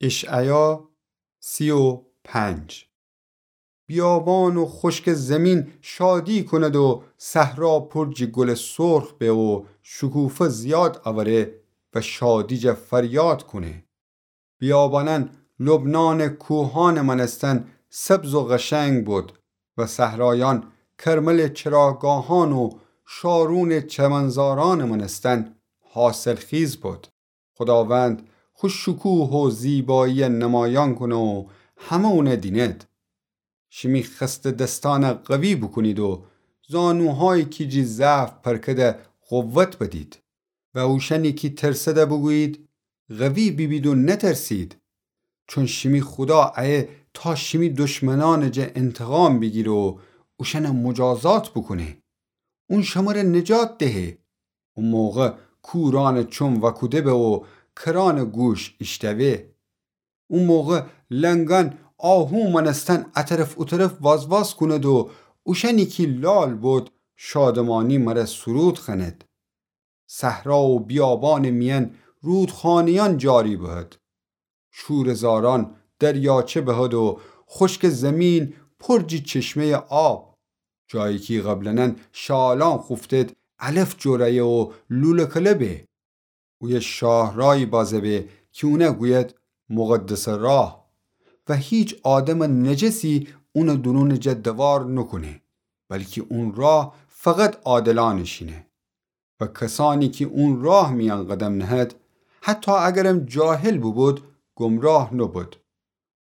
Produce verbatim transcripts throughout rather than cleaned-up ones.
اشعیا سی و پنج. بیابان و خشکٚ زمین شادی کند و صحرا پر جٚ گلٚ سرخ به و شکوفه زیاد اوره و شادی جا فریاد کونه. بیابانأن لبنانٚ کوهانٚ مأنستن سبز و قشنگ بد و صحرایأن کرملٚ چراگاهان و شارونٚ چمنزارانٚ مأنستن حاصلخیز بد. خوداوند خو شکوه و زیبایی نمایان کونه و همه اونه دینید. شیمی خسته دستأن قوی بوکونید و زانوهایی کی جی ضعف پرکده قوت بدید و اوشأنی کی ترسده بوگویید: قوی بیبید و نترسید، چون شیمی خودا ایه تا شیمی دشمنأنٚ جا انتقام بیگیره و اوشأن مجازات بوکونه. اون شمره نجات دهه. او موقع کورأنٚ چوم وأکوده به و کرأنٚ گوش ایشتوه. او موقع لنگأن آهو مأنستن ا طرف او طرف وازواز کونید و اوشأنی کی لال بد شادمانی مره سرود خوأنید. صحرا و بیابانٚ میأن رودخانه‌یأن جاری بهد. شوره‌زارأن دریاچه بهد و خشکٚ زمین پر جی چشمه‌یٚ آب. جایی کی قبلاً شالأن خوفتید علف جرأیه و لوله‌کله به. اویه شاهرایی بازه به کی اونه گوید مقدسٚ راه و هیچ آدمٚ نجسی اونٚ دورونٚ جا دوار نوکونه، بلکی اون راه فقط عادلأنٚ شینه. و کسأنی کی اون راه میأن قدم نهد، حتی اگرم جاهل بوبود، گمراه نوبود.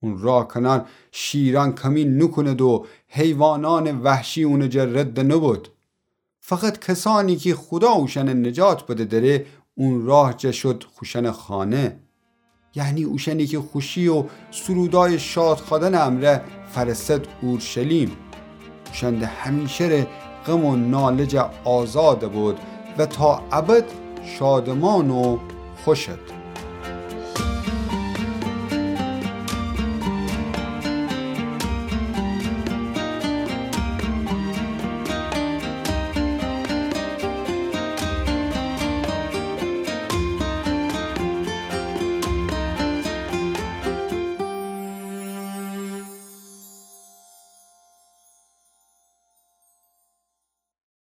اون راه کنار شیرأن کمی نوکوند و حیوانأنٚ وحشی اونٚ جا رد نوبود. فقط کسأنی کی خودا اوشأنٚ نجات بده دره، اون راه جا شد خوشأنٚ خانه. یعنی اوشأنی کی خوشی و سرودأیٚ شاد خوأدنٚ امرأ فأرسد اورشلیم. اوشأن ده همیشه ره غم و ناله جا آزاد بود و تا ابد شادمان و خوشد.